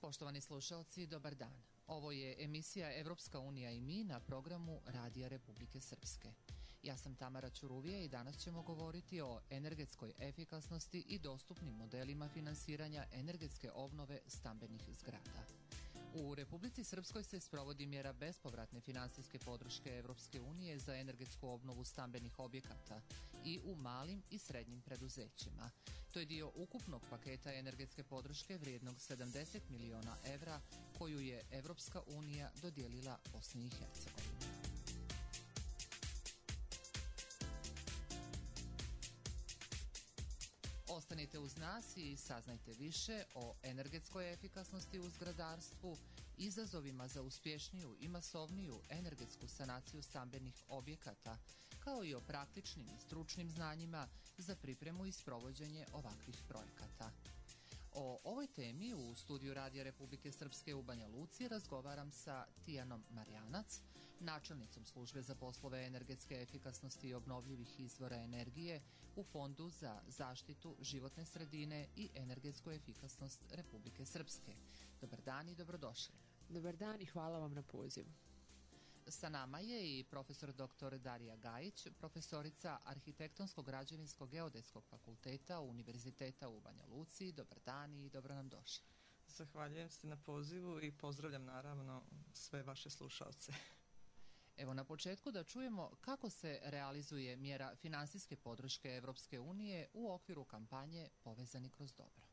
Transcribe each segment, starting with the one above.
Poštovani slušaoci, dobar dan. Ovo je emisija Evropska unija i mi na programu Radija Republike Srpske. Ja sam Tamara Ćuruvija i danas ćemo govoriti o energetskoj efikasnosti i dostupnim modelima finansiranja energetske obnove stambenih zgrada. U Republici Srpskoj se sprovodi mjera bespovratne finansijske podrške Evropske unije za energetsku obnovu stambenih objekata i u malim i srednjim preduzećima. To je dio ukupnog paketa energetske podrške vrijednog 70 miliona evra koju je Evropska unija dodijelila Bosni i Hercegovini. Ostanite uz nas i saznajte više o energetskoj efikasnosti u zgradarstvu, izazovima za uspješniju i masovniju energetsku sanaciju stambenih objekata, kao i o praktičnim i stručnim znanjima za pripremu i sprovođenje ovakvih projekata. O ovoj temi u studiju Radija Republike Srpske u Banja Luci razgovaram sa Tijanom Marjanac, načelnicom službe za poslove energetske efikasnosti i obnovljivih izvora energije u Fondu za zaštitu životne sredine i energetsku efikasnost Republike Srpske. Dobar dan i dobrodošli. Dobar dan i hvala vam na pozivu. Sa nama je i profesor dr. Darija Gajić, profesorica Arhitektonsko-građevinskog geodetskog fakulteta Univerziteta u Banja Luci. Dobar dan i dobro nam došli. Zahvaljujem se na pozivu i pozdravljam naravno sve vaše slušalce. Evo na početku da čujemo kako se realizuje mjera finansijske podrške Evropske unije u okviru kampanje Povezani kroz dobro.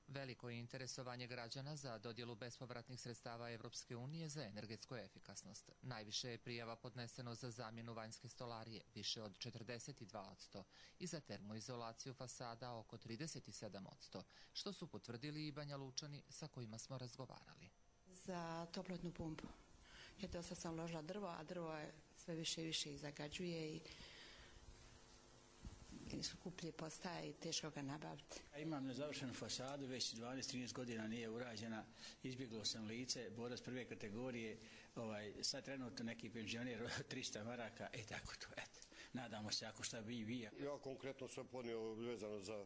Veliko je interesovanje građana za dodjelu bespovratnih sredstava Evropske unije za energetsku efikasnost. Najviše je prijava podneseno za zamjenu vanjske stolarije, više od 42%, i za termoizolaciju fasada oko 37%, što su potvrdili i Banja Lučani sa kojima smo razgovarali. Za toplotnu pumpu. Jer dosta sam uložila drvo, a drvo je sve više i više i zagađuje i skuplje postaje i teško ga nabaviti. Imam nezavršenu fasadu, već 12-13 godina nije urađena, izbjeglo sam lice, borac prve kategorije, sad trenutno neki penzioner 300 maraka, tako to, nadamo se ako šta bi i vi. Ja konkretno sam ponio vezano za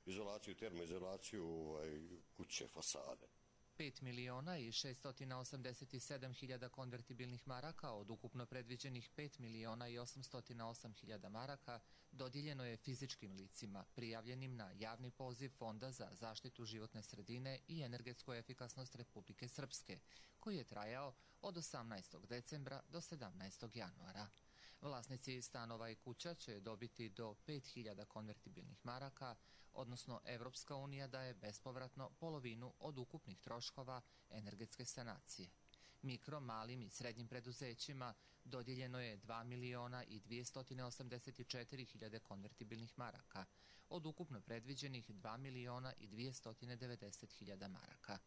izolaciju, termoizolaciju kuće, fasade. 5 miliona i 687 hiljada konvertibilnih maraka od ukupno predviđenih 5 miliona i 808 hiljada maraka dodijeljeno je fizičkim licima prijavljenim na javni poziv Fonda za zaštitu životne sredine i energetsku efikasnost Republike Srpske, koji je trajao od 18. decembra do 17. januara. Vlasnici stanova i kuća će dobiti do 5.000 konvertibilnih maraka, odnosno Evropska unija daje bespovratno polovinu od ukupnih troškova energetske sanacije. Mikro, malim i srednjim preduzećima dodijeljeno je 2 miliona i 284 hiljade konvertibilnih maraka, od ukupno predviđenih 2 miliona i 290 hiljada maraka.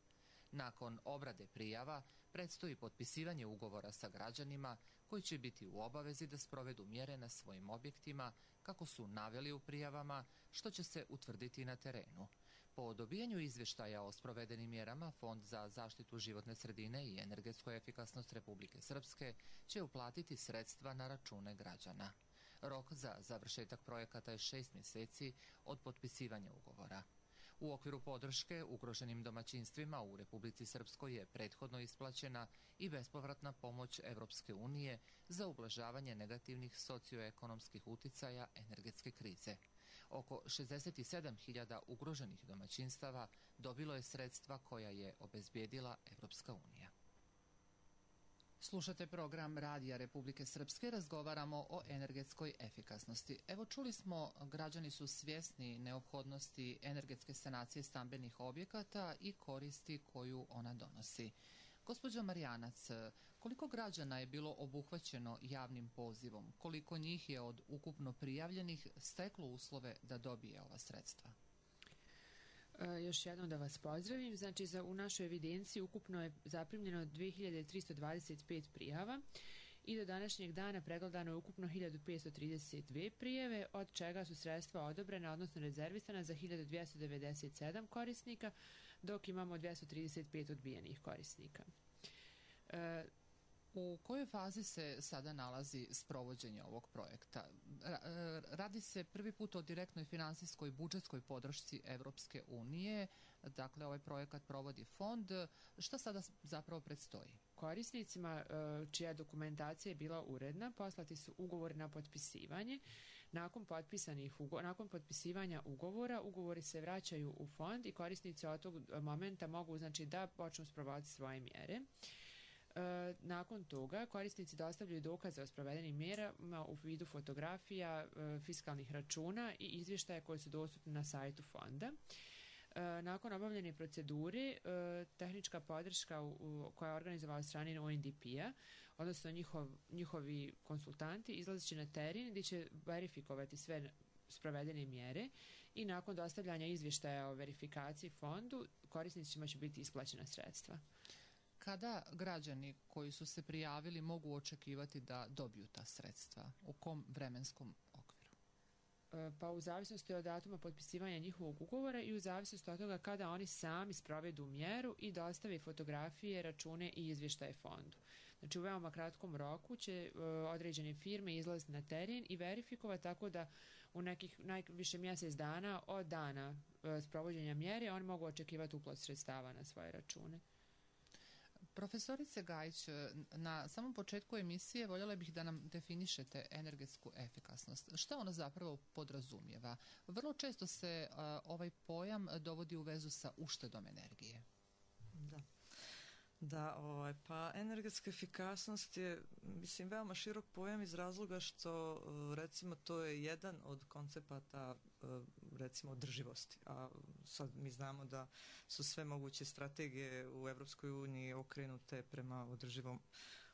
Nakon obrade prijava predstoji potpisivanje ugovora sa građanima koji će biti u obavezi da sprovedu mjere na svojim objektima kako su naveli u prijavama, što će se utvrditi na terenu. Po dobijanju izvještaja o sprovedenim mjerama, Fond za zaštitu životne sredine i energetsku efikasnost Republike Srpske će uplatiti sredstva na račune građana. Rok za završetak projekata je 6 mjeseci od potpisivanja ugovora. U okviru podrške ugroženim domaćinstvima u Republici Srpskoj je prethodno isplaćena i bespovratna pomoć Evropske unije za ublažavanje negativnih socioekonomskih uticaja energetske krize. Oko 67.000 ugroženih domaćinstava dobilo je sredstva koja je obezbijedila Evropska unija. Slušate program Radija Republike Srpske, razgovaramo o energetskoj efikasnosti. Evo čuli smo, građani su svjesni neophodnosti energetske sanacije stambenih objekata i koristi koju ona donosi. Gospođo Marjanac, koliko građana je bilo obuhvaćeno javnim pozivom? Koliko njih je od ukupno prijavljenih steklo uslove da dobije ova sredstva? Još jednom da vas pozdravim. Znači, u našoj evidenciji ukupno je zaprimljeno 2325 prijava i do današnjeg dana pregledano je ukupno 1532 prijave, od čega su sredstva odobrena, odnosno rezervisana za 1297 korisnika, dok imamo 235 odbijenih korisnika. U kojoj fazi se sada nalazi sprovođenje ovog projekta? Radi se prvi put o direktnoj finansijskoj budžetskoj podršci Evropske unije, dakle ovaj projekat provodi fond. Šta sada zapravo predstoji? Korisnicima čija dokumentacija je bila uredna poslati su ugovori na potpisivanje. Nakon potpisivanja ugovora, ugovori se vraćaju u fond i korisnici od tog momenta mogu znači da počnu sprovoditi svoje mjere. Nakon toga korisnici dostavljaju dokaze o sprovedenim mjerama u vidu fotografija, fiskalnih računa i izvještaja koji su dostupni na sajtu fonda. Nakon obavljene procedure, tehnička podrška koja je organizovala od strane UNDP-a, odnosno njihovi konsultanti, izlazit će na teren gdje će verifikovati sve sprovedene mjere i nakon dostavljanja izvještaja o verifikaciji fondu, korisnicima će biti isplaćena sredstva. Kada građani koji su se prijavili mogu očekivati da dobiju ta sredstva? U kom vremenskom okviru? Pa u zavisnosti od datuma potpisivanja njihovog ugovora i u zavisnosti od toga kada oni sami sprovedu mjeru i dostave fotografije, račune i izvještaje fondu. Znači u veoma kratkom roku će određene firme izlaziti na teren i verifikovati tako da u nekih najviše mjesec dana od dana sprovođenja mjere oni mogu očekivati uplatu sredstava na svoje račune. Profesorice Gajić, na samom početku emisije voljela bih da nam definišete energetsku efikasnost. Šta ona zapravo podrazumijeva? Vrlo često se ovaj pojam dovodi u vezu sa uštedom energije. Pa energetska efikasnost je, mislim, veoma širok pojam iz razloga što, recimo, to je jedan od koncepata, recimo, održivosti. A sad mi znamo da su sve moguće strategije u Evropskoj uniji okrenute prema održivom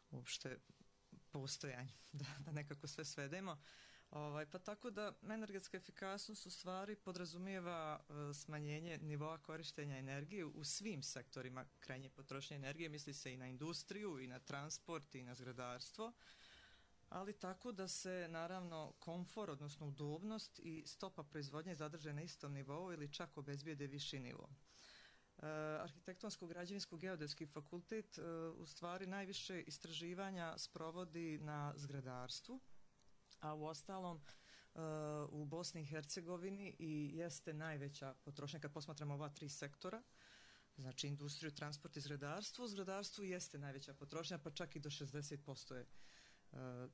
uopšte postojanju, da nekako sve svedemo. Pa tako da energetska efikasnost u stvari podrazumijeva smanjenje nivoa korištenja energije u svim sektorima krajnje potrošnje energije, misli se i na industriju i na transport i na zgradarstvo, ali tako da se naravno komfor, odnosno udobnost i stopa proizvodnje zadrže na istom nivou ili čak obezbijede viši nivo. Arhitektonsko-građevinsko-geodetski fakultet u stvari najviše istraživanja sprovodi na zgradarstvu, a u ostalom u Bosni i Hercegovini i jeste najveća potrošnja kad posmatramo ova tri sektora, znači industriju, transport i zgradarstvo. U zgradarstvu jeste najveća potrošnja, pa čak i do 60% je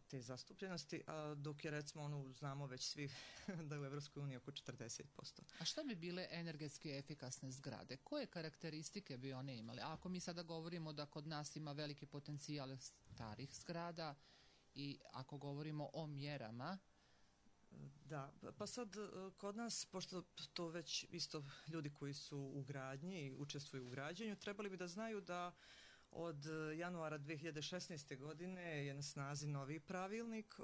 te zastupljenosti, a dok je recimo znamo već svi da je u Evropskoj uniji oko 40%. A šta bi bile energetski efikasne zgrade? Koje karakteristike bi one imale? Ako mi sada govorimo da kod nas ima veliki potencijal starih zgrada i ako govorimo o mjerama. Da, pa sad kod nas, pošto to već isto ljudi koji su u gradnji i učestvuju u građenju, trebali bi da znaju da od januara 2016. godine je na snazi novi pravilnik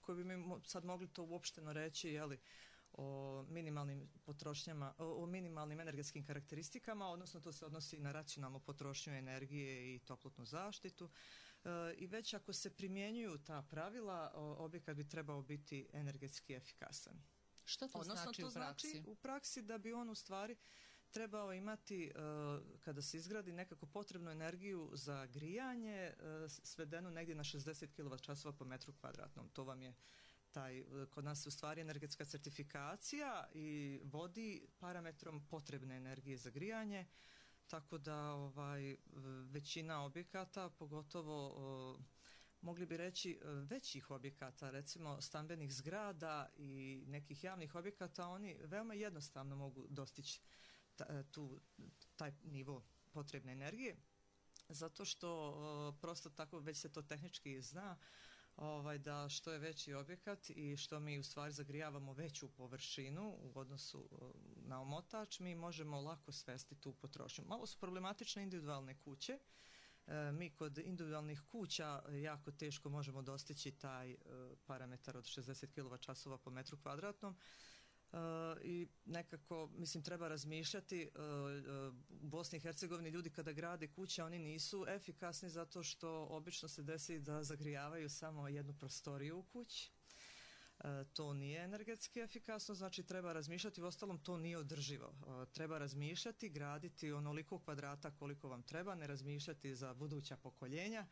koji bi mi sad mogli to uopšteno reći, jeli, o minimalnim potrošnjama, o minimalnim energetskim karakteristikama, odnosno to se odnosi na racionalnu potrošnju energije i toplotnu zaštitu. I već ako se primjenjuju ta pravila, objekat bi trebao biti energetski efikasan. Što to znači u praksi? Znači u praksi da bi on u stvari trebao imati, kada se izgradi, nekako potrebnu energiju za grijanje svedenu negdje na 60 kWh po metru kvadratnom. To vam je kod nas u stvari energetska certifikacija i vodi parametrom potrebne energije za grijanje. Tako da većina objekata, pogotovo mogli bi reći većih objekata, recimo stambenih zgrada i nekih javnih objekata, oni veoma jednostavno mogu dostići taj nivo potrebne energije, zato što prosto tako već se to tehnički zna, da što je veći objekat i što mi u stvari zagrijavamo veću površinu u odnosu na omotač, mi možemo lako svesti tu potrošnju. Malo su problematične individualne kuće. Mi kod individualnih kuća jako teško možemo dostići taj parametar od 60 kWh po metru kvadratnom. I nekako, mislim, treba razmišljati. U Bosni i Hercegovini ljudi kada grade kuće, oni nisu efikasni zato što obično se desi da zagrijavaju samo jednu prostoriju u kući. to nije energetski efikasno, znači treba razmišljati, uostalom to nije održivo. Treba razmišljati, graditi onoliko kvadrata koliko vam treba, ne razmišljati za buduća pokoljenja.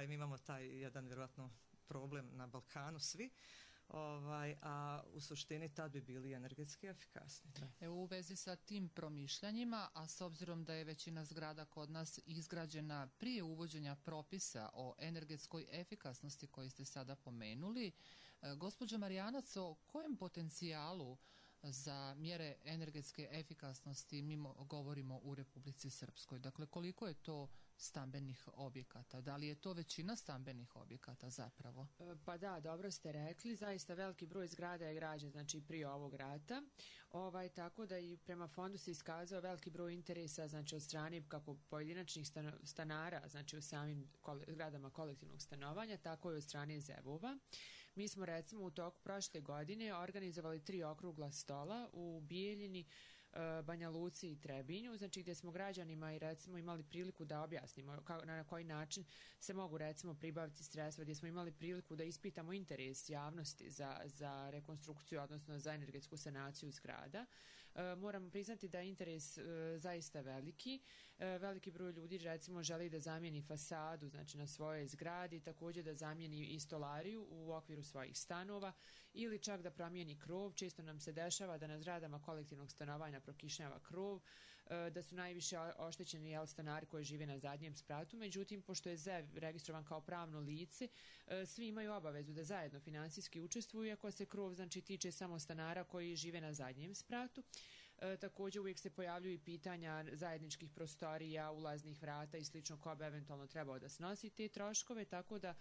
Mi imamo taj jedan vjerojatno problem na Balkanu svi. A u suštini tad bi bili energetski efikasni. U vezi sa tim promišljanjima, a s obzirom da je većina zgrada kod nas izgrađena prije uvođenja propisa o energetskoj efikasnosti koji ste sada pomenuli, gospođo Marijanac, o kojem potencijalu za mjere energetske efikasnosti mi govorimo u Republici Srpskoj? Dakle, koliko je to stambenih objekata? Da li je to većina stambenih objekata zapravo? Pa da, dobro ste rekli, zaista veliki broj zgrada je građen, znači prije ovog rata, tako da i prema fondu se iskazao veliki broj interesa, znači od strane kako pojedinačnih stanara, znači u samim zgradama kolektivnog stanovanja, tako i od strane ZEV-ova. Mi smo recimo u toku prošle godine organizovali 3 okrugla stola u Bijeljini, Banja Luci i Trebinju, znači gdje smo građanima i recimo imali priliku da objasnimo na koji način se mogu recimo pribaviti sredstva, gdje smo imali priliku da ispitamo interes javnosti za rekonstrukciju, odnosno za energetsku sanaciju zgrada. Moramo priznati da je interes zaista veliki. Veliki broj ljudi recimo želi da zamijeni fasadu, znači na svojoj zgradi, također da zamijeni i stolariju u okviru svojih stanova ili čak da promijeni krov. Često nam se dešava da na zgradama kolektivnog stanovanja prokišnjava krov, da su najviše oštećeni stanari koji žive na zadnjem spratu. Međutim, pošto je ZEV registrovan kao pravno lice, svi imaju obavezu da zajedno finansijski učestvuju, ako se krov znači tiče samo stanara koji žive na zadnjem spratu. Također uvijek se pojavljuju i pitanja zajedničkih prostorija, ulaznih vrata i slično, ko bi eventualno trebao da snosi te troškove, tako da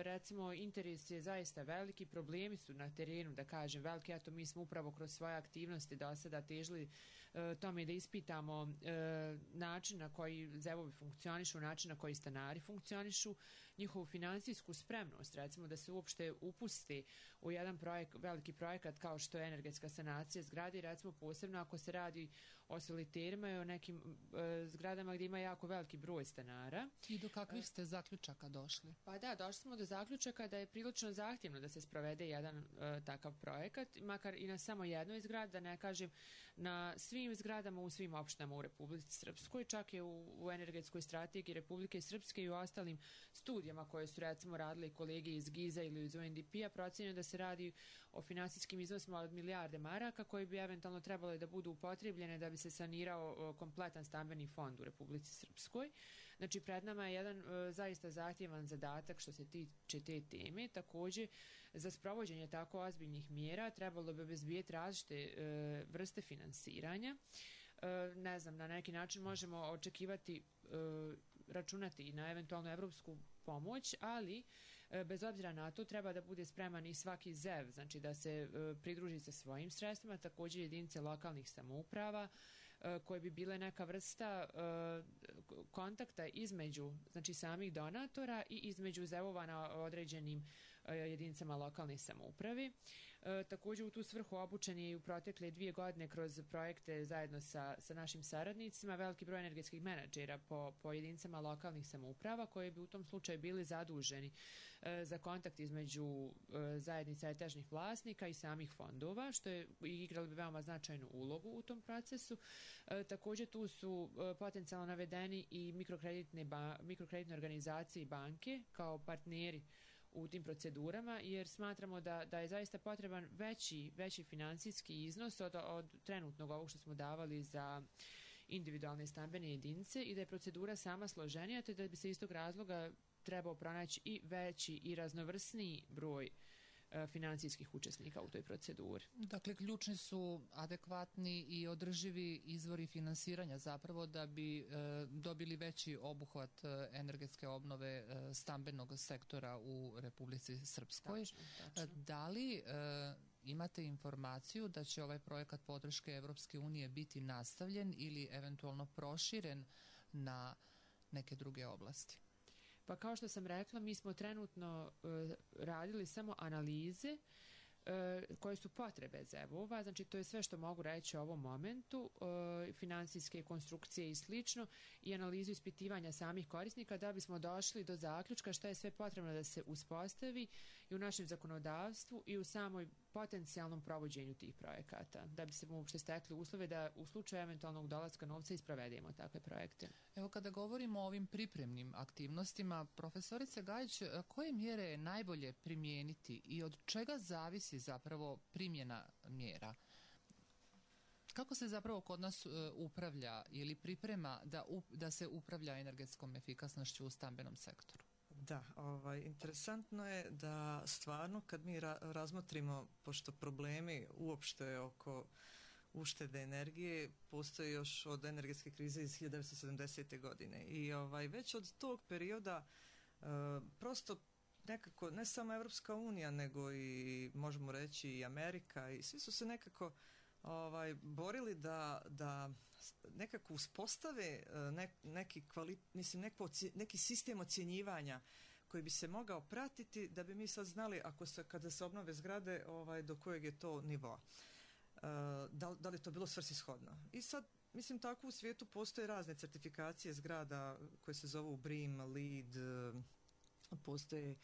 recimo interes je zaista veliki, problemi su na terenu, da kažem, veliki. Eto, mi smo upravo kroz svoje aktivnosti do sada težili tome da ispitamo način na koji ZEV-ovi funkcionišu, način na koji stanari funkcionišu, njihovu finansijsku spremnost, recimo da se uopšte upusti u jedan veliki projekat kao što je energetska sanacija zgrade, recimo posebno ako se radi o soliterima i o nekim zgradama gdje ima jako veliki broj stanara. I do kakvih ste zaključaka došli? Pa da, došli smo do zaključaka da je prilično zahtjevno da se sprovede jedan takav projekat, makar i na samo jednoj zgradi, da ne kažem na svim zgradama u svim opštinama u Republici Srpskoj, čak je u energetskoj strategiji Republike Srpske i u ostalim studijama koje su recimo radili kolege iz GIZ-a ili iz UNDP-a, procenjeno da se radi o finansijskim iznosima od milijarde maraka koji bi eventualno trebalo da budu upotrebljene da bi se sanirao kompletan stambeni fond u Republici Srpskoj. Znači, pred nama je jedan zaista zahtjevan zadatak što se tiče te teme. Također, za sprovođenje tako ozbiljnih mjera trebalo bi obezbijeti različite vrste finansiranja. Ne znam, na neki način možemo očekivati, računati i na eventualnu evropsku pomoć, ali bez obzira na to treba da bude spreman i svaki ZEV, znači da se pridruži sa svojim sredstvima, također jedinice lokalnih samouprava, koje bi bile neka vrsta kontakta između znači samih donatora i između ZEV-ova na određenim jedinicama lokalne samouprave. Također u tu svrhu obučen je i u protekle 2 godine kroz projekte zajedno sa našim saradnicima veliki broj energetskih menadžera po jedinicama lokalnih samouprava koji bi u tom slučaju bili zaduženi za kontakt između zajednica etažnih vlasnika i samih fondova, što je igralo bi veoma značajnu ulogu u tom procesu. Također tu su potencijalno navedeni i mikrokreditne organizacije i banke kao partneri u tim procedurama, jer smatramo da je zaista potreban veći financijski iznos od trenutnog ovog što smo davali za individualne stambene jedinice i da je procedura sama složenija, te da bi se iz tog razloga trebao pronaći i veći i raznovrsniji broj financijskih učesnika u toj proceduri. Dakle, ključni su adekvatni i održivi izvori finansiranja zapravo da bi dobili veći obuhvat energetske obnove stambenog sektora u Republici Srpskoj. Tačno. Da li imate informaciju da će ovaj projekat podrške Evropske unije biti nastavljen ili eventualno proširen na neke druge oblasti? Pa kao što sam rekla, mi smo trenutno radili samo analize koje su potrebe ZEV-ova, znači to je sve što mogu reći u ovom momentu, finansijske konstrukcije i slično i analizu ispitivanja samih korisnika da bismo došli do zaključka šta je sve potrebno da se uspostavi i u našem zakonodavstvu i u samoj potencijalnom provođenju tih projekata, da bi se uopšte stekli uslove da u slučaju eventualnog dolaska novca isprovedemo takve projekte. Evo kada govorimo o ovim pripremnim aktivnostima, profesorice Gajić, koje mjere je najbolje primijeniti i od čega zavisi zapravo primjena mjera? Kako se zapravo kod nas upravlja ili priprema da se upravlja energetskom efikasnošću u stambenom sektoru? Da, interesantno je da stvarno kad mi razmotrimo, pošto problemi uopšte oko uštede energije postoji još od energetske krize iz 1970. godine i već od tog perioda prosto nekako ne samo Evropska unija nego i možemo reći i Amerika i svi su se nekako borili da nekako uspostave neki sistem ocjenjivanja koji bi se mogao pratiti da bi mi sad znali kada se obnove zgrade do kojeg je to nivoa. Da li je to bilo svrsishodno. I sad, mislim, tako u svijetu postoje razne certifikacije zgrada koje se zovu BREEAM, LEED, postoje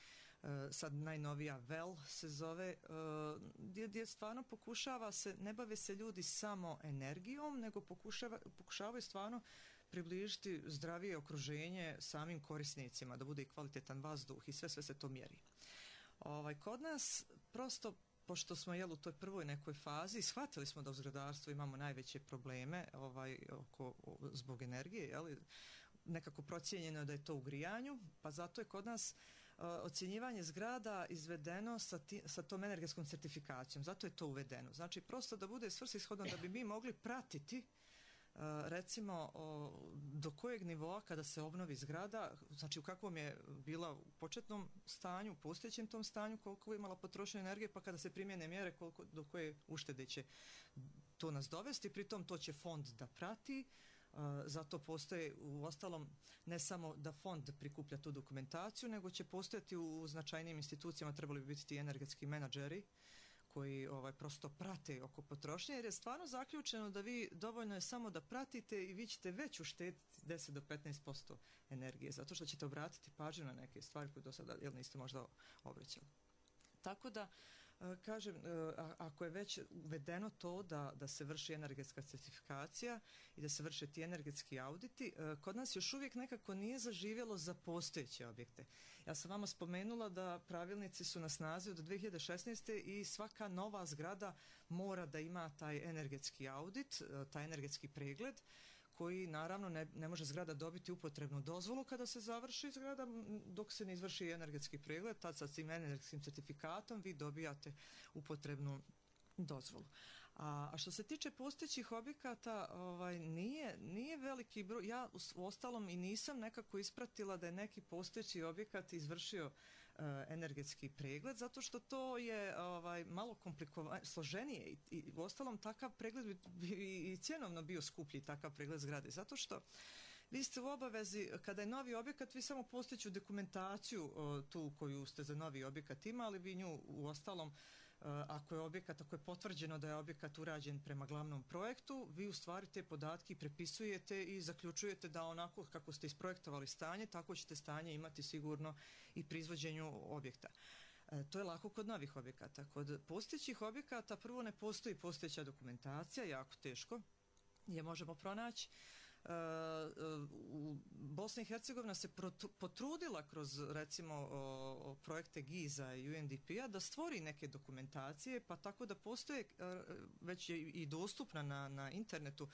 sad najnovija WELL se zove, gdje stvarno pokušava se, ne bave se ljudi samo energijom, nego pokušavaju stvarno približiti zdravije okruženje samim korisnicima, da bude i kvalitetan vazduh i sve se to mjeri. Kod nas prosto, pošto smo u toj prvoj nekoj fazi, shvatili smo da u zgradarstvu imamo najveće probleme zbog energije, nekako procijenjeno je da je to u grijanju, pa zato je kod nas ocjenjivanje zgrada izvedeno sa tom energetskom certifikacijom, zato je to uvedeno. Znači, prosto da bude svrsishodno da bi mi mogli pratiti recimo do kojeg nivoa kada se obnovi zgrada, znači u kakvom je bila u početnom stanju, u postojećem tom stanju, koliko je imala potrošnju energije, pa kada se primjene mjere do koje uštede će to nas dovesti, pritom to će fond da prati. Zato postoje u ostalom ne samo da fond prikuplja tu dokumentaciju, nego će postojati u značajnijim institucijama, trebali bi biti ti energetski menadžeri koji prosto prate oko potrošnje, jer je stvarno zaključeno da vi dovoljno je samo da pratite i vi ćete već uštediti 10 do 15% energije, zato što ćete obratiti pažnju na neke stvari koje do sada niste možda obraćali. Tako da, kažem, ako je već uvedeno to da se vrši energetska certifikacija i da se vrše ti energetski auditi, kod nas još uvijek nekako nije zaživjelo za postojeće objekte. Ja sam vama spomenula da pravilnici su na snazi od 2016. i svaka nova zgrada mora da ima taj energetski audit, taj energetski pregled, koji naravno ne može zgrada dobiti upotrebnu dozvolu kada se završi zgrada, dok se ne izvrši energetski pregled, tad sa tim energetskim certifikatom vi dobijate upotrebnu dozvolu. A što se tiče postojećih objekata, nije veliki broj, ja u ostalom i nisam nekako ispratila da je neki postojeći objekat izvršio energetski pregled, zato što to je malo složenije i u ostalom takav pregled bi i cjenovno bio skuplji, takav pregled zgrade, zato što vi ste u obavezi, kada je novi objekat, vi samo postojeću dokumentaciju tu koju ste za novi objekat imali, vi nju u ostalom, ako je potvrđeno da je objekat urađen prema glavnom projektu, vi u stvari te podatke prepisujete i zaključujete da onako kako ste isprojektovali stanje, tako ćete stanje imati sigurno i pri izvođenju objekta. To je lako kod novih objekata. Kod postojećih objekata prvo ne postoji postojeća dokumentacija, jako teško je možemo pronaći. Bosna i Hercegovina se potrudila kroz recimo projekte GIZ-a i UNDP-a da stvori neke dokumentacije, pa tako da postoje već je i dostupna na internetu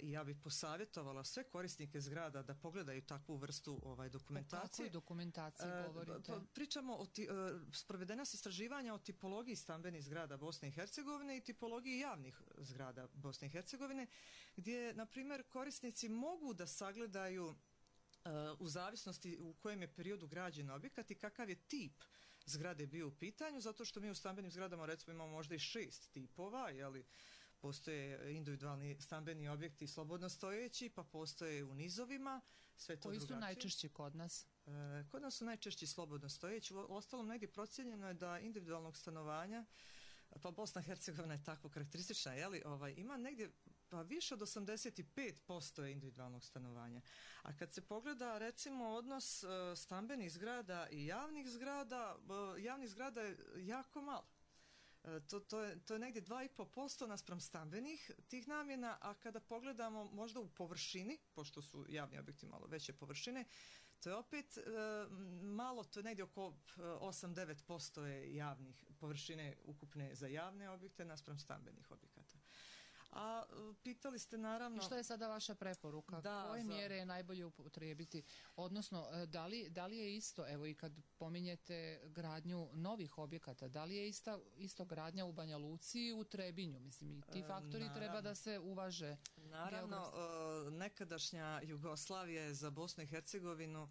i ja bih posavjetovala sve korisnike zgrada da pogledaju takvu vrstu dokumentacije. O kakvoj dokumentaciji govorite? Pričamo sprovedena su istraživanja o tipologiji stambenih zgrada Bosne i Hercegovine i tipologiji javnih zgrada Bosne i Hercegovine, gdje, na primjer, korisnici mogu da sagledaju u zavisnosti u kojem je periodu građen objekat i kakav je tip zgrade bio u pitanju, zato što mi u stambenim zgradama recimo imamo možda i 6 tipova, postoje individualni stambeni objekti slobodno stojeći, pa postoje u nizovima, sve to drugačije. Koji su najčešći kod nas? Kod nas su najčešći slobodno stojeći, u ostalom negdje procijenjeno je da individualnog stanovanja Pa Bosna i Hercegovina je tako karakteristična, ima negdje pa više od 85% je individualnog stanovanja. A kad se pogleda recimo odnos stambenih zgrada i javnih zgrada je jako malo. To je negdje 2,5% naspram stambenih tih namjena, a kada pogledamo možda u površini, pošto su javni objekti malo veće površine, to je opet malo, to je negdje oko 8-9% je javnih površine ukupne za javne objekte naspram stambenih objekata. A pitali ste naravno... I što je sada vaša preporuka? Koje mjere je najbolje upotrijebiti? Odnosno, da li je isto, evo i kad pominjete gradnju novih objekata, da li je isto gradnja u Banja Luci i u Trebinju? Mislim, i ti faktori treba da se uvaže. Naravno, nekadašnja Jugoslavija je za Bosnu i Hercegovinu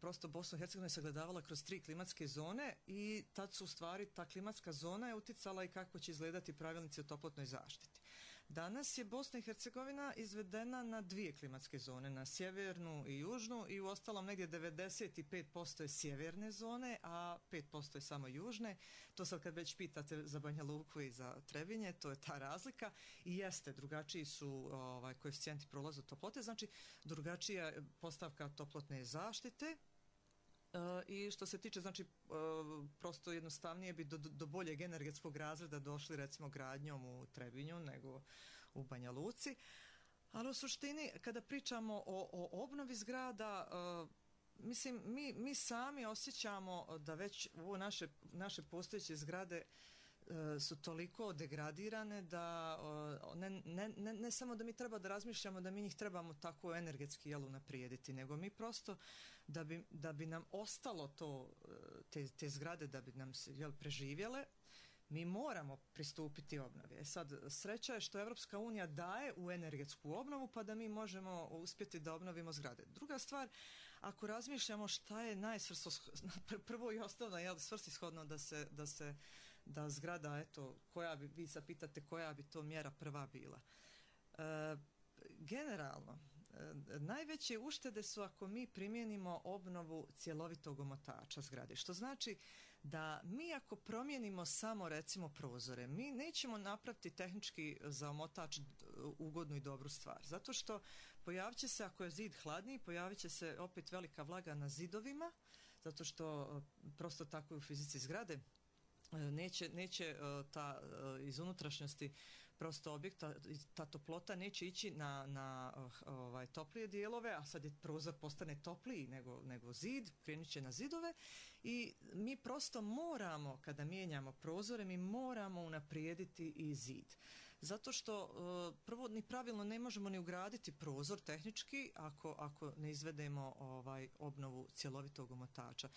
prosto Bosnu i Hercegovinu sagledavala kroz 3 klimatske zone i tad su u stvari ta klimatska zona je uticala i kako će izgledati pravilnici o toplotnoj zaštiti. Danas je Bosna i Hercegovina izvedena na 2 klimatske zone, na sjevernu i južnu i u ostalom negdje 95% je sjeverne zone, a 5% je samo južne. To sad kad već pitate za Banja Luku i za Trebinje, to je ta razlika i jeste, drugačiji su koeficijenti prolaza toplote, znači drugačija postavka toplotne zaštite. I što se tiče, znači, prosto jednostavnije bi do boljeg energetskog razreda došli recimo gradnjom u Trebinju nego u Banja Luci. Ali u suštini, kada pričamo o obnovi zgrada, mislim, mi sami osjećamo da već ovo naše postojeće zgrade su toliko degradirane da ne samo da mi treba da razmišljamo da mi njih trebamo tako energetski unaprijediti, nego mi prosto da bi nam ostalo te zgrade, da bi nam se preživjele, mi moramo pristupiti obnovi. Sad, sreća je što Evropska unija daje u energetsku obnovu pa da mi možemo uspjeti da obnovimo zgrade. Druga stvar, ako razmišljamo šta je prvo i osnovno svrsishodno da zgrada, vi sad pitate koja bi to mjera prva bila. Generalno, najveće uštede su ako mi primijenimo obnovu cjelovitog omotača zgrade, što znači da mi ako promijenimo samo recimo prozore, mi nećemo napraviti tehnički za omotač ugodnu i dobru stvar, zato što pojavit će se, ako je zid hladniji, pojavit će se opet velika vlaga na zidovima, zato što prosto tako je u fizici zgrade. Neće ta iz unutrašnjosti prosto objekta, ta toplota neće ići na toplije dijelove, a sad je prozor postane topliji nego zid, krenut će na zidove i mi prosto moramo, kada mijenjamo prozore, mi moramo unaprijediti i zid. Zato što prvo ni pravilno ne možemo ni ugraditi prozor tehnički ako ne izvedemo obnovu cjelovitog omotača.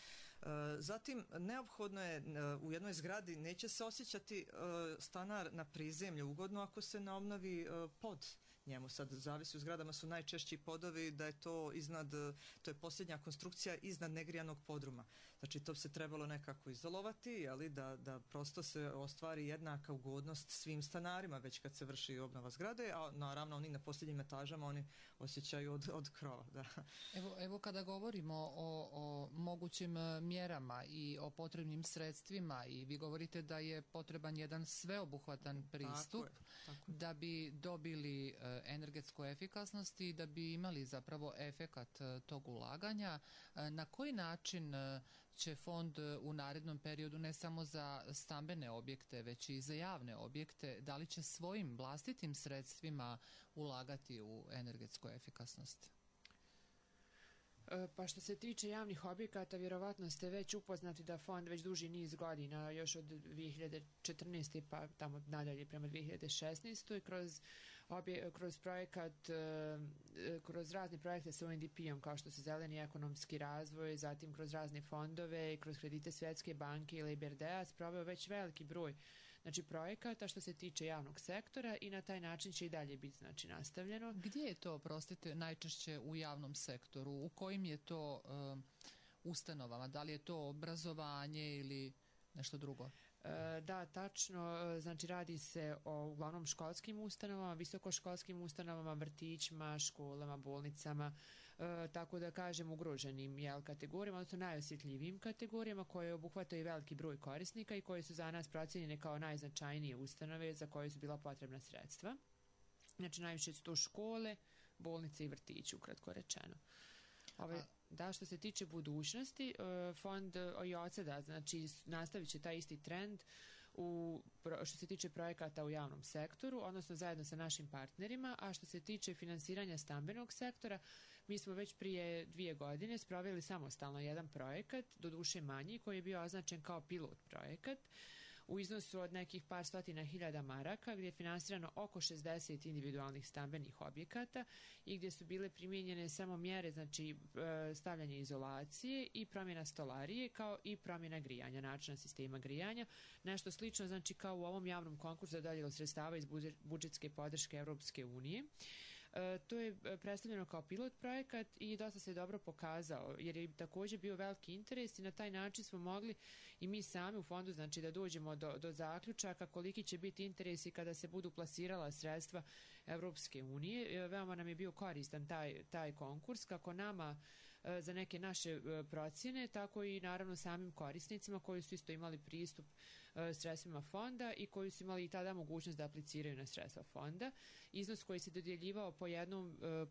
Zatim, neophodno je u jednoj zgradi neće se osjećati stanar na prizemlju ugodno ako se ne obnovi pod njemu. Sad zavisi, u zgradama su najčešći podovi da je to to je posljednja konstrukcija iznad negrijanog podruma. Znači to bi se trebalo nekako izolovati, da prosto se ostvari jednaka ugodnost svim stanarima već kad se vrši obnova zgrade, a naravno oni na posljednjim etažama oni osjećaju od krova. Da. Evo kada govorimo o mogućim mjerama i o potrebnim sredstvima i vi govorite da je potreban jedan sveobuhvatan pristup da bi dobili energetsku efikasnost i da bi imali zapravo efekat tog ulaganja. Na koji način će fond u narednom periodu ne samo za stambene objekte, već i za javne objekte, da li će svojim vlastitim sredstvima ulagati u energetsku efikasnost? Pa što se tiče javnih objekata, vjerovatno ste već upoznati da fond već duži niz godina, još od 2014. pa tamo nadalje prema 2016. kroz projekat, kroz razne projekte sa UNDP-om kao što su zeleni ekonomski razvoj, zatim kroz razne fondove i kroz kredite Svjetske banke ili IBRD-a sproveo već veliki broj projekata što se tiče javnog sektora i na taj način će i dalje biti nastavljeno. Gdje je to, prostite, najčešće u javnom sektoru? U kojim je to ustanovama? Da li je to obrazovanje ili nešto drugo? Da, tačno, znači radi se o uglavnom školskim ustanovama, visokoškolskim ustanovama, vrtićima, školama, bolnicama, tako da kažem ugroženim kategorijama, odnosno najosjetljivijim kategorijama koje obuhvataju veliki broj korisnika i koje su za nas procijenjene kao najznačajnije ustanove za koje su bila potrebna sredstva. Znači najviše su to škole, bolnice i vrtići, ukratko rečeno. Da, što se tiče budućnosti, fond i od sada, znači nastavit će taj isti trend što se tiče projekata u javnom sektoru, odnosno zajedno sa našim partnerima, a što se tiče finansiranja stambenog sektora, mi smo već prije 2 godine sproveli samostalno jedan projekat, doduše manji, koji je bio označen kao pilot projekat, u iznosu od nekih par stotina hiljada maraka, gdje je finansirano oko 60 individualnih stambenih objekata i gdje su bile primijenjene samo mjere, znači stavljanje izolacije i promjena stolarije, kao i promjena grijanja, načina sistema grijanja. Nešto slično, znači kao u ovom javnom konkursu za dodjelu sredstava iz budžetske podrške Europske unije. To je predstavljeno kao pilot projekat i dosta se dobro pokazao, jer je također bio veliki interes i na taj način smo mogli i mi sami u fondu, znači da dođemo do zaključaka koliki će biti interesi kada se budu plasirala sredstva Europske unije. Veoma nam je bio koristan taj konkurs, kako nama za neke naše procjene, tako i naravno samim korisnicima koji su isto imali pristup sredstvima fonda i koji su imali i tada mogućnost da apliciraju na sredstva fonda. Iznos koji se dodjeljivao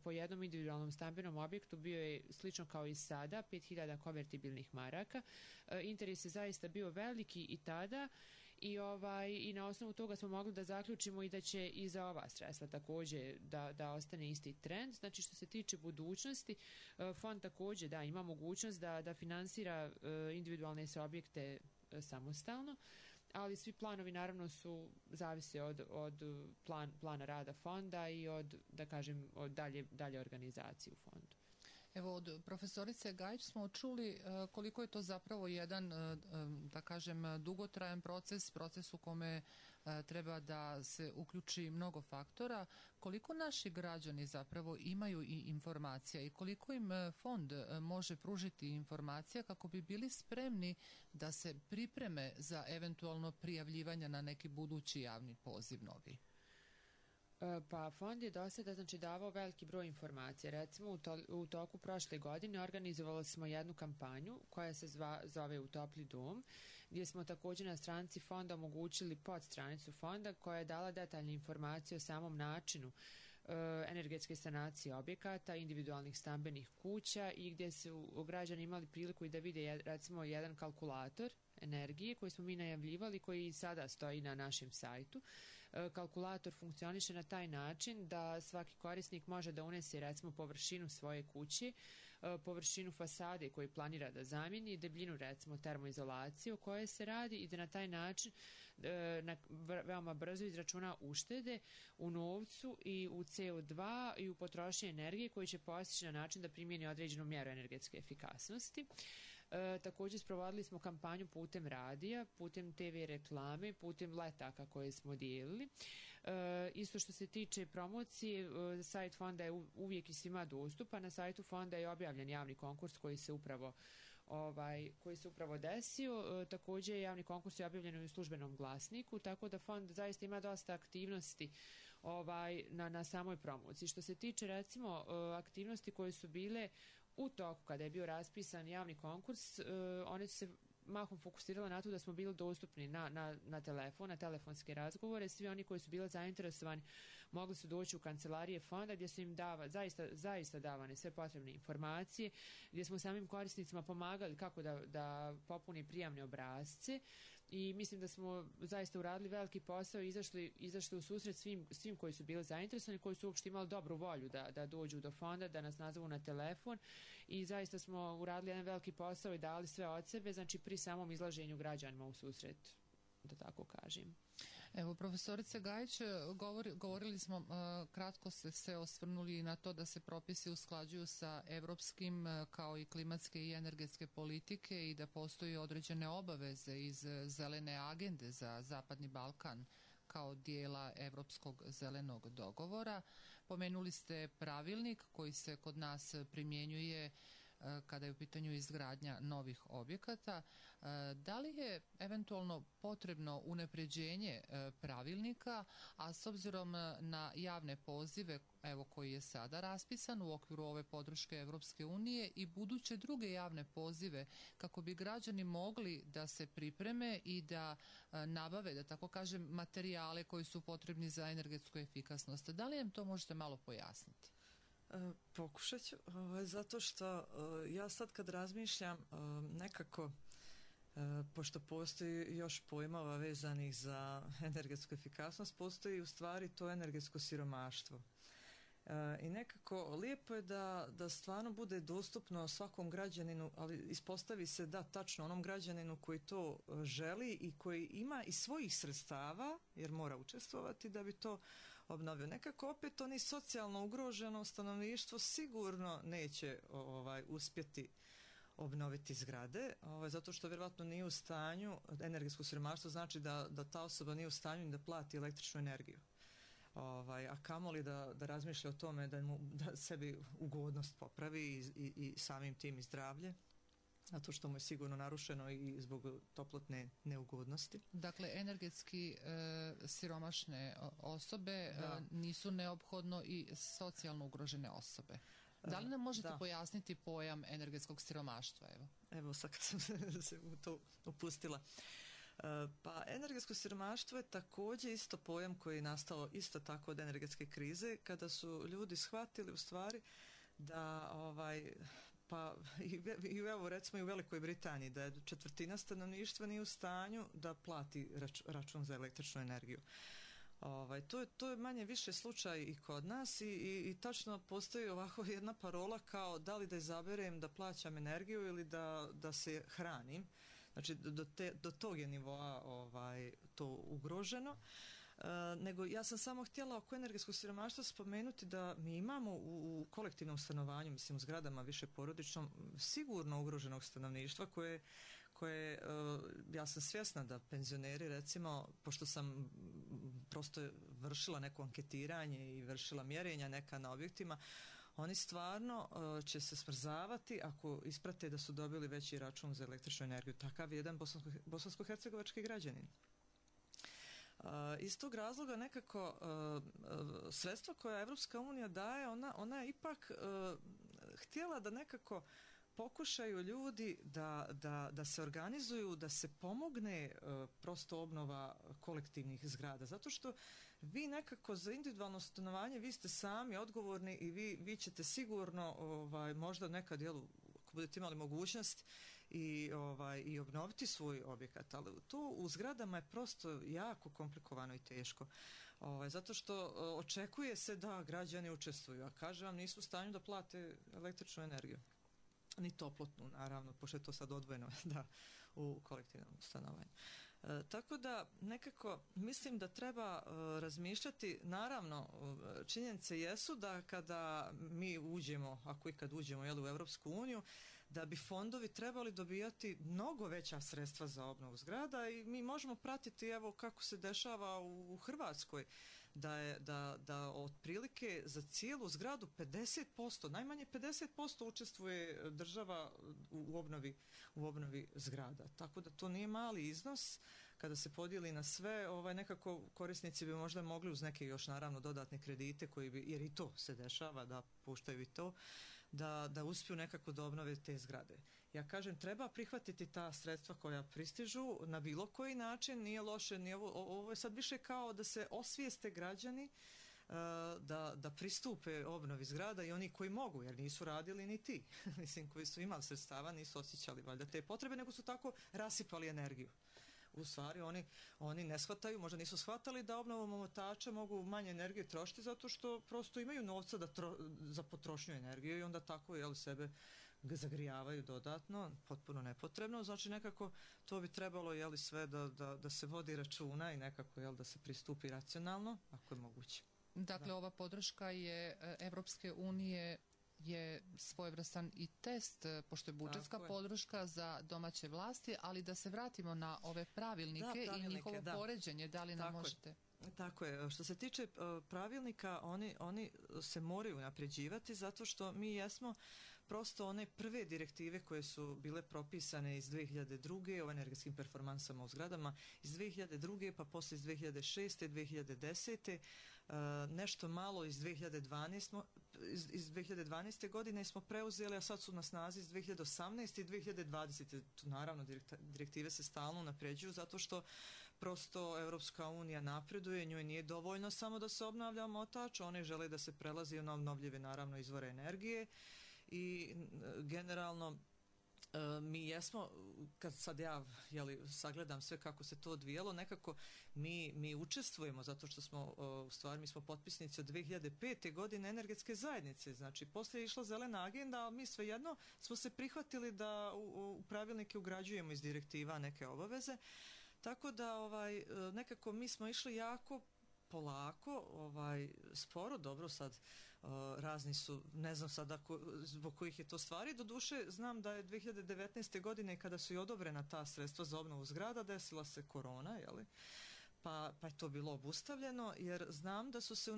po jednom individualnom stambenom objektu bio je slično kao i sada, 5000 konvertibilnih maraka. Interes je zaista bio veliki i tada i na osnovu toga smo mogli da zaključimo i da će i za ova sredstva također da ostane isti trend. Znači što se tiče budućnosti, fond također ima mogućnost da finansira individualne objekte samostalno, ali svi planovi naravno zavise od plana rada fonda i od dalje organizacije u fondu. Evo, od profesorice Gajić smo čuli koliko je to zapravo jedan, da kažem, dugotrajan proces u kome treba da se uključi mnogo faktora. Koliko naši građani zapravo imaju i informacija i koliko im fond može pružiti informacija kako bi bili spremni da se pripreme za eventualno prijavljivanje na neki budući javni poziv novi? Pa fond je do sada davao veliki broj informacija. Recimo u toku prošle godine organizovali smo jednu kampanju koja se zove U topli dom, gdje smo također na stranici fonda omogućili podstranicu fonda koja je dala detaljne informacije o samom načinu energetske sanacije objekata, individualnih stambenih kuća i gdje su građani imali priliku i da vide recimo jedan kalkulator energije koji smo mi najavljivali, koji i sada stoji na našem sajtu. Kalkulator funkcioniše na taj način da svaki korisnik može da unese recimo površinu svoje kuće, površinu fasade koju planira da zamijeni, debljinu recimo termoizolacije o kojoj se radi i da na taj način veoma brzo izračuna uštede u novcu i u CO2 i u potrošnji energije koji će postići na način da primijeni određenu mjeru energetske efikasnosti. Također sprovodili smo kampanju putem radija, putem TV reklame, putem letaka koje smo dijelili. Isto što se tiče promocije, sajt fonda je uvijek i svima dostupan. Na sajtu fonda je objavljen javni konkurs koji se upravo desio. Također javni konkurs je objavljen u službenom glasniku, tako da fond zaista ima dosta aktivnosti na samoj promociji. Što se tiče recimo aktivnosti koje su bile u toku kada je bio raspisan javni konkurs, one su se mahom fokusirale na to da smo bili dostupni na telefon, na telefonske razgovore. Svi oni koji su bili zainteresovani mogli su doći u kancelarije fonda gdje su im zaista davane sve potrebne informacije, gdje smo samim korisnicima pomagali kako da popuni prijavne obrasce i mislim da smo zaista uradili veliki posao i izašli u susret svim koji su bili zainteresovani, koji su uopšte imali dobru volju da dođu do fonda, da nas nazovu na telefon i zaista smo uradili jedan veliki posao i dali sve od sebe, znači pri samom izlaženju građanima u susret, da tako kažem. Evo, profesorice Gajić, govorili smo, kratko se osvrnuli na to da se propisi usklađuju sa evropskim kao i klimatske i energetske politike i da postoji određene obaveze iz zelene agende za Zapadni Balkan kao dijela Evropskog zelenog dogovora. Pomenuli ste pravilnik koji se kod nas primjenjuje kada je u pitanju izgradnja novih objekata. Da li je eventualno potrebno unapređenje pravilnika, a s obzirom na javne pozive, evo koji je sada raspisan u okviru ove podrške Evropske unije i buduće druge javne pozive, kako bi građani mogli da se pripreme i da nabave, da tako kažem, materijale koji su potrebni za energetsku efikasnost. Da li nam to možete malo pojasniti? Pokušat ću, zato što ja sad kad razmišljam nekako, pošto postoji još pojmova vezanih za energetsku efikasnost, postoji u stvari to energetsko siromaštvo. I nekako lijepo je da stvarno bude dostupno svakom građaninu, ali ispostavi se da tačno onom građaninu koji to želi i koji ima i svojih sredstava, jer mora učestvovati da bi to obnovio. Nekako opet oni socijalno ugroženo stanovništvo sigurno neće uspjeti obnoviti zgrade, zato što vjerojatno nije u stanju, energetsko siromaštvo znači da ta osoba nije u stanju da plati električnu energiju. A kamoli da razmišlja o tome da sebi ugodnost popravi i samim tim i zdravlje, zato što mu je sigurno narušeno i zbog toplotne neugodnosti. Dakle, energetski siromašne osobe nisu neophodno i socijalno ugrožene osobe. Da li nam možete pojasniti pojam energetskog siromaštva? Evo sad kad sam se u to upustila. Pa energetsko siromaštvo je također isto pojam koji je nastao isto tako od energetske krize, kada su ljudi shvatili u stvari da pa i evo recimo i u Velikoj Britaniji da je 1/4 stanovništva nije u stanju da plati račun za električnu energiju. To je manje više slučaj i kod nas i tačno postoji ovako jedna parola kao da li da izaberem da plaćam energiju ili da se hranim. Znači do tog je nivoa to ugroženo. Nego ja sam samo htjela oko energetskog siromaštva spomenuti da mi imamo u kolektivnom stanovanju, mislim u zgradama više porodičnom, sigurno ugroženog stanovništva koje ja sam svjesna da penzioneri recimo, pošto sam prosto vršila neko anketiranje i vršila mjerenja neka na objektima, oni stvarno će se smrzavati ako isprate da su dobili veći račun za električnu energiju. Takav je jedan bosansko-hercegovački građanin. Iz tog razloga nekako sredstva koja Evropska unija daje, ona je ipak htjela da nekako pokušaju ljudi da se organizuju, da se pomogne prosto obnova kolektivnih zgrada. Zato što vi nekako za individualno stanovanje vi ste sami odgovorni i vi ćete sigurno možda nekad ako budete imali mogućnost i obnoviti svoj objekat, ali to u zgradama je prosto jako komplikovano i teško. Zato što očekuje se da građani učestvuju, a kažem vam nisu u stanju da plate električnu energiju. Ni toplotnu, naravno, pošto je to sad odvojeno u kolektivnom stanovanju. Tako da nekako mislim da treba razmišljati, naravno činjenice jesu da kada mi uđemo, ako i kad uđemo u Europsku uniju, da bi fondovi trebali dobijati mnogo veća sredstva za obnovu zgrada i mi možemo pratiti evo kako se dešava u Hrvatskoj, da otprilike za cijelu zgradu 50%, najmanje 50% učestvuje država u obnovi zgrada. Tako da to nije mali iznos. Kada se podijeli na sve, nekako korisnici bi možda mogli uz neke još naravno dodatne kredite jer i to se dešava da puštaju i to, da uspiju nekako da obnove te zgrade. Ja kažem, treba prihvatiti ta sredstva koja pristižu na bilo koji način, nije loše, ovo je sad više kao da se osvijeste građani da pristupe obnovi zgrada i oni koji mogu, jer nisu radili ni ti. Mislim, koji su imali sredstava, nisu osjećali valjda te potrebe, nego su tako rasipali energiju. U stvari oni ne shvataju, možda nisu shvatali da obnovom omotača mogu manje energije trošiti zato što prosto imaju novca za potrošnju energije i onda tako sebe zagrijavaju dodatno, potpuno nepotrebno. Znači nekako to bi trebalo sve da se vodi računa i nekako da se pristupi racionalno, ako je moguće. Dakle, ova podrška je Evropske unije je svojevrstan i test, pošto je budžetska podrška za domaće vlasti, ali da se vratimo na ove pravilnike i njihovo poređenje, da li nam možete Tako je. Što se tiče pravilnika, oni se moraju unapređivati zato što mi jesmo prosto one prve direktive koje su bile propisane iz 2002. o energetskim performansama u zgradama iz 2002. pa poslije iz 2006. 2010. Nešto malo iz 2012. godine smo preuzeli, a sad su na snazi iz 2018. i 2020. Naravno, direktive se stalno unapređuju zato što prosto Europska unija napreduje, njoj nije dovoljno samo da se obnavlja omotač, one žele da se prelazi na obnovljive naravno izvore energije i generalno mi jesmo, kad sad ja sagledam sve kako se to odvijalo, nekako mi učestvujemo zato što smo, u stvari mi smo potpisnici od 2005. godine energetske zajednice, znači poslije je išla zelena agenda, ali mi svejedno smo se prihvatili da u pravilnike ugrađujemo iz direktiva neke obaveze, tako da nekako mi smo išli jako polako, sporo, dobro sad razni su, ne znam sad zbog kojih je to stvari, doduše znam da je 2019. godine kada su i odobrena ta sredstva za obnovu zgrada desila se korona, jeli? Pa je to bilo obustavljeno jer znam da su se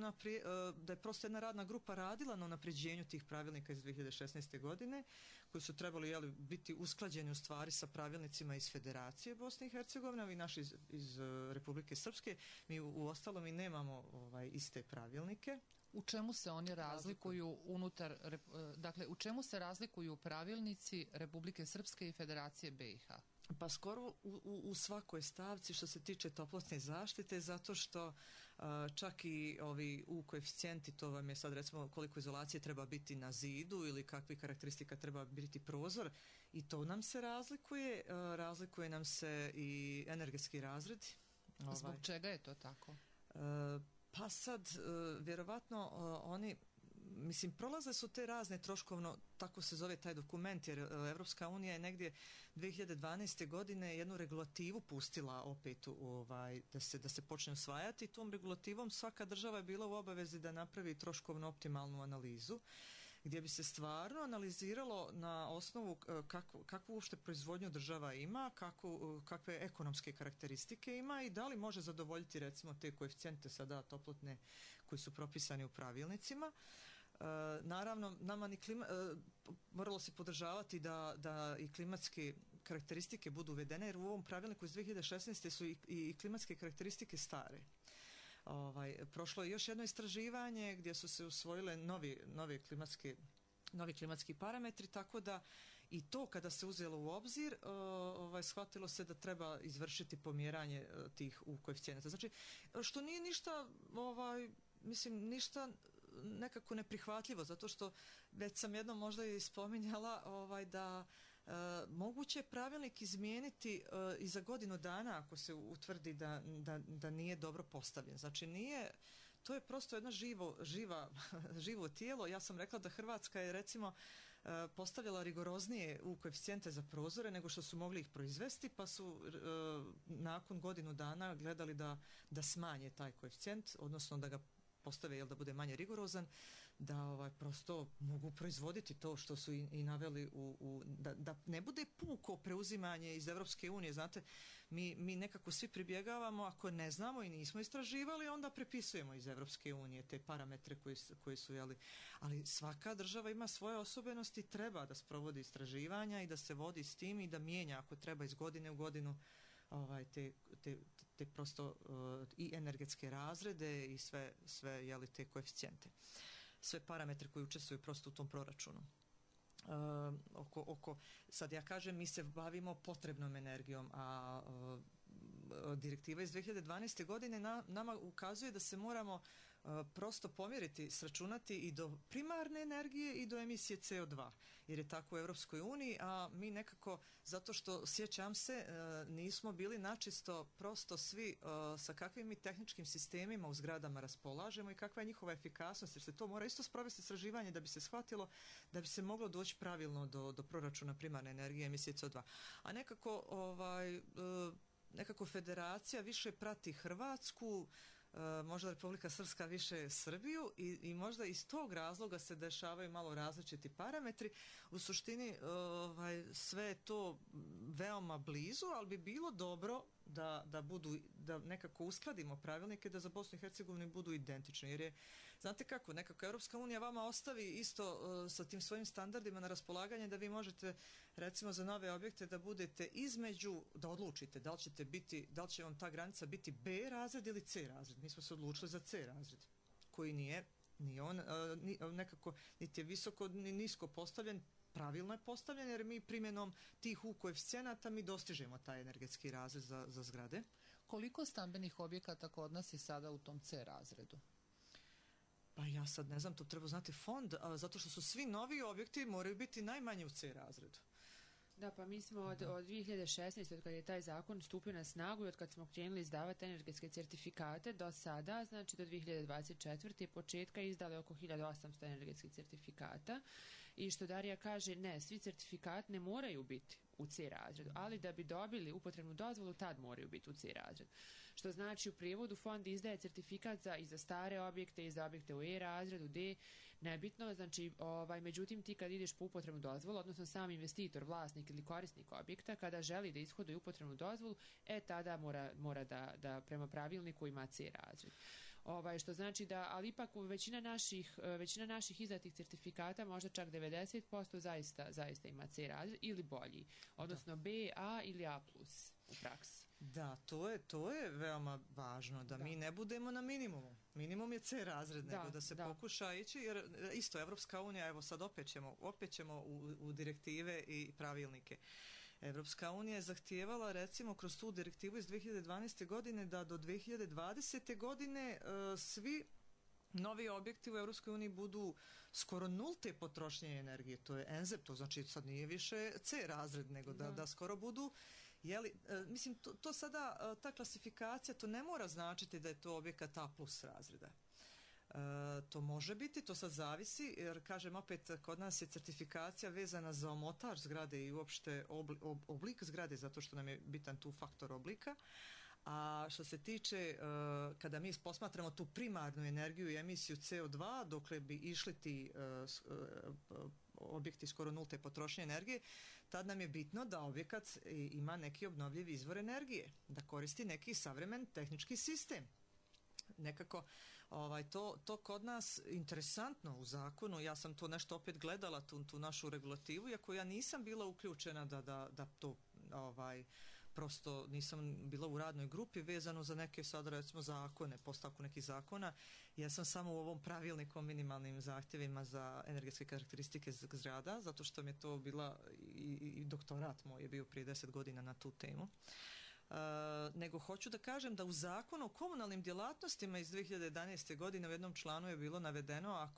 da je prosto jedna radna grupa radila na unapređenju tih pravilnika iz 2016. godine koji su trebali biti usklađeni u stvari sa pravilnicima iz Federacije Bosne i Hercegovine i naši iz Republike Srpske. Mi u ostalom i nemamo iste pravilnike. U čemu se oni razlikuju dakle, u čemu se razlikuju pravilnici Republike Srpske i Federacije BiH? Pa skoro u svakoj stavci što se tiče toplotne zaštite, zato što čak i ovi koeficijenti, to vam je sad recimo koliko izolacije treba biti na zidu ili kakvi karakteristika treba biti prozor, i to nam se razlikuje nam se i energetski razred. Zbog čega je to tako? Pa sad, vjerovatno oni, mislim, prolaze su te razne troškovno, tako se zove taj dokument, jer Evropska unija je negdje 2012. godine jednu regulativu pustila opet da se počne usvajati. Tom regulativom svaka država je bila u obavezi da napravi troškovno optimalnu analizu, gdje bi se stvarno analiziralo na osnovu kakvu uopšte proizvodnju država ima, kakve ekonomske karakteristike ima i da li može zadovoljiti recimo te koeficijente sada toplotne koji su propisani u pravilnicima. Naravno, nama moralo se podržavati da i klimatske karakteristike budu uvedene, jer u ovom pravilniku iz 2016. su i klimatske karakteristike stare. Prošlo je još jedno istraživanje gdje su se usvojile novi klimatski parametri, tako da i to kada se uzelo u obzir, shvatilo se da treba izvršiti pomjeranje tih koeficijenata. Znači, što nije ništa, ništa nekako neprihvatljivo, zato što već sam jednom možda i spominjala da moguće je pravilnik izmijeniti i za godinu dana ako se utvrdi da nije dobro postavljen. Znači to je prosto jedno živo tijelo. Ja sam rekla da Hrvatska je recimo postavljala rigoroznije u koeficijente za prozore nego što su mogli ih proizvesti, pa su nakon godinu dana gledali da smanje taj koeficijent, odnosno da ga postave da bude manje rigorozan, da prosto mogu proizvoditi to što su i naveli da ne bude puko preuzimanje iz Evropske unije. Znate, mi nekako svi pribjegavamo, ako ne znamo i nismo istraživali, onda prepisujemo iz Evropske unije te parametre koji su ali svaka država ima svoje osobenosti, treba da sprovodi istraživanja i da se vodi s tim i da mijenja ako treba iz godine u godinu te prosto i energetske razrede i sve te koeficijente. Sve parametre koji učestvuju prosto u tom proračunu. Sad ja kažem, mi se bavimo potrebnom energijom, a direktiva iz 2012. godine nama ukazuje da se moramo prosto pomjeriti, sračunati i do primarne energije i do emisije CO2, jer je tako u Europskoj uniji, a mi nekako, zato što sjećam se, nismo bili načisto prosto svi sa kakvim mi tehničkim sistemima u zgradama raspolažemo i kakva je njihova efikasnost, jer se to mora isto sprovesti istraživanje da bi se shvatilo, da bi se moglo doći pravilno do proračuna primarne energije i emisije CO2. A nekako federacija više prati Hrvatsku, možda Republika Srpska više Srbiju i možda iz tog razloga se dešavaju malo različiti parametri. U suštini sve je to veoma blizu, ali bi bilo dobro da nekako uskladimo pravilnike da za Bosnu i Hercegovinu budu identični, jer je, znate kako, nekako Europska unija vama ostavi isto sa tim svojim standardima na raspolaganje da vi možete, recimo za nove objekte, da budete između, da odlučite da li će vam ta granica biti B razred ili C razred. Mi smo se odlučili za C razred, koji nije on nekako niti je visoko ni nisko postavljen, pravilno je postavljen, jer mi primjenom tih U koeficijenata mi dostižemo taj energetski razred za zgrade. Koliko stambenih objekata kod nas je sada u tom C razredu? Pa ja sad ne znam, to treba znati fond, zato što su svi novi objekti moraju biti najmanje u C razredu. Da, pa mi smo od 2016. od kada je taj zakon stupio na snagu i od kada smo krenuli izdavati energetske certifikate do sada, znači do 2024. početka izdali oko 1800 energetskih certifikata. I što Darija kaže, ne, svi certifikati ne moraju biti u C razredu, ali da bi dobili upotrebnu dozvolu, tad moraju biti u C razredu. Što znači u prijevodu fond izdaje certifikat i za stare objekte i za objekte u E razredu, D, nebitno, znači međutim ti kad ideš po upotrebnu dozvolu, odnosno sam investitor, vlasnik ili korisnik objekta, kada želi da ishoduje upotrebnu dozvolu, tada mora da prema pravilniku ima C razred. Što znači da, ali ipak većina naših izdatih certifikata, možda čak 90% zaista ima C razred ili bolji, odnosno B, A ili A+ u praksi. Da, to je veoma važno, da mi ne budemo na minimumu. Minimum je C razred, nego da se pokuša ići, jer isto Evropska unija, evo sad opet ćemo u direktive i pravilnike. Evropska unija je zahtijevala, recimo, kroz tu direktivu iz 2012. godine da do 2020. godine svi novi objekti u Evropskoj uniji budu skoro nulte potrošnje energije. To je NZEP, to znači sad nije više C razred, nego da skoro budu. Mislim, to sada, ta klasifikacija, to ne mora značiti da je to objekat A+ razreda. To može biti, to sad zavisi, jer kažem opet, kod nas je certifikacija vezana za omotač zgrade i uopšte oblik zgrade, zato što nam je bitan tu faktor oblika. A što se tiče, kada mi posmatramo tu primarnu energiju i emisiju CO2, dokle bi išli ti objekti skoro nulte potrošnje energije, tad nam je bitno da objekat ima neki obnovljiv izvor energije, da koristi neki savremen tehnički sistem. Nekako to kod nas interesantno u zakonu, ja sam to nešto opet gledala, tu našu regulativu, iako ja nisam bila uključena da to prosto nisam bila u radnoj grupi vezano za neke sad recimo zakone, postavku nekih zakona. Ja sam samo u ovom pravilniku o minimalnim zahtjevima za energetske karakteristike zgrada, zato što mi je to bila i doktorat moj je bio prije 10 godina na tu temu. Nego hoću da kažem da u zakonu o komunalnim djelatnostima iz 2011. godine u jednom članu je bilo navedeno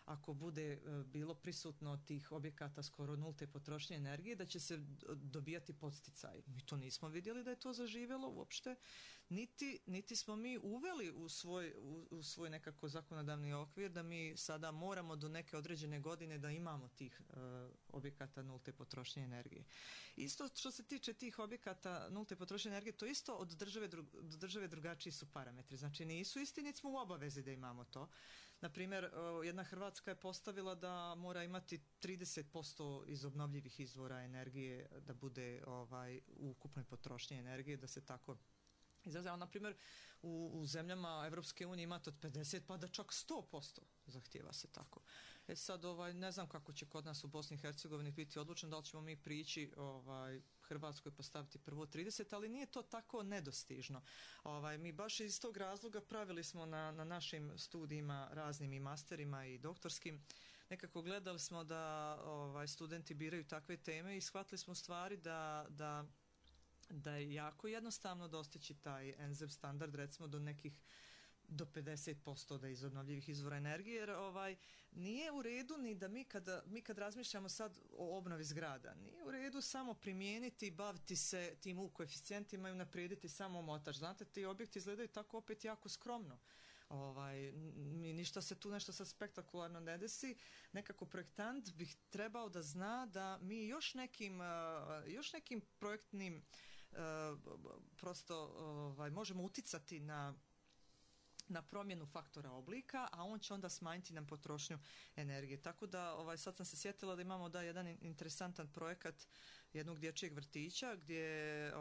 ako bude bilo prisutno tih objekata skoro nulte potrošnje energije, da će se dobijati podsticaj. Mi to nismo vidjeli da je to zaživjelo uopšte, niti smo mi uveli u svoj nekako zakonodavni okvir da mi sada moramo do neke određene godine da imamo tih objekata nulte potrošnje energije. Isto što se tiče tih objekata nulte potrošnje energije, to isto od države drugačiji su parametri. Znači nisu isti, niti smo u obavezi da imamo to. Naprimjer, jedna Hrvatska je postavila da mora imati 30% iz obnovljivih izvora energije da bude u ukupnoj potrošnji energije, da se tako izražava. Naprimjer, u zemljama Evropske unije imate od 50 pa da čak 100% zahtjeva se tako. Sad, ne znam kako će kod nas u Bosni i Hercegovini biti odlučeno, da li ćemo mi prići Hrvatskoj postaviti prvo 30, ali nije to tako nedostižno. Mi baš iz tog razloga pravili smo na našim studijima raznim i masterima i doktorskim. Nekako gledali smo da studenti biraju takve teme i shvatili smo stvari da je jako jednostavno dostići taj NZEP standard, recimo do 50% da iz obnovljivih izvora energije, jer nije u redu ni da mi kad razmišljamo sad o obnovi zgrada, nije u redu samo primijeniti i baviti se tim U koeficijentima i unaprijediti samo omotač. Znate, ti objekti izgledaju tako opet jako skromno. Ništa se tu nešto sad spektakularno ne desi. Nekako projektant bih trebao da zna da mi još nekim projektnim prosto možemo uticati na promjenu faktora oblika, a on će onda smanjiti nam potrošnju energije. Tako da sad sam se sjetila da imamo jedan interesantan projekat jednog dječjeg vrtića gdje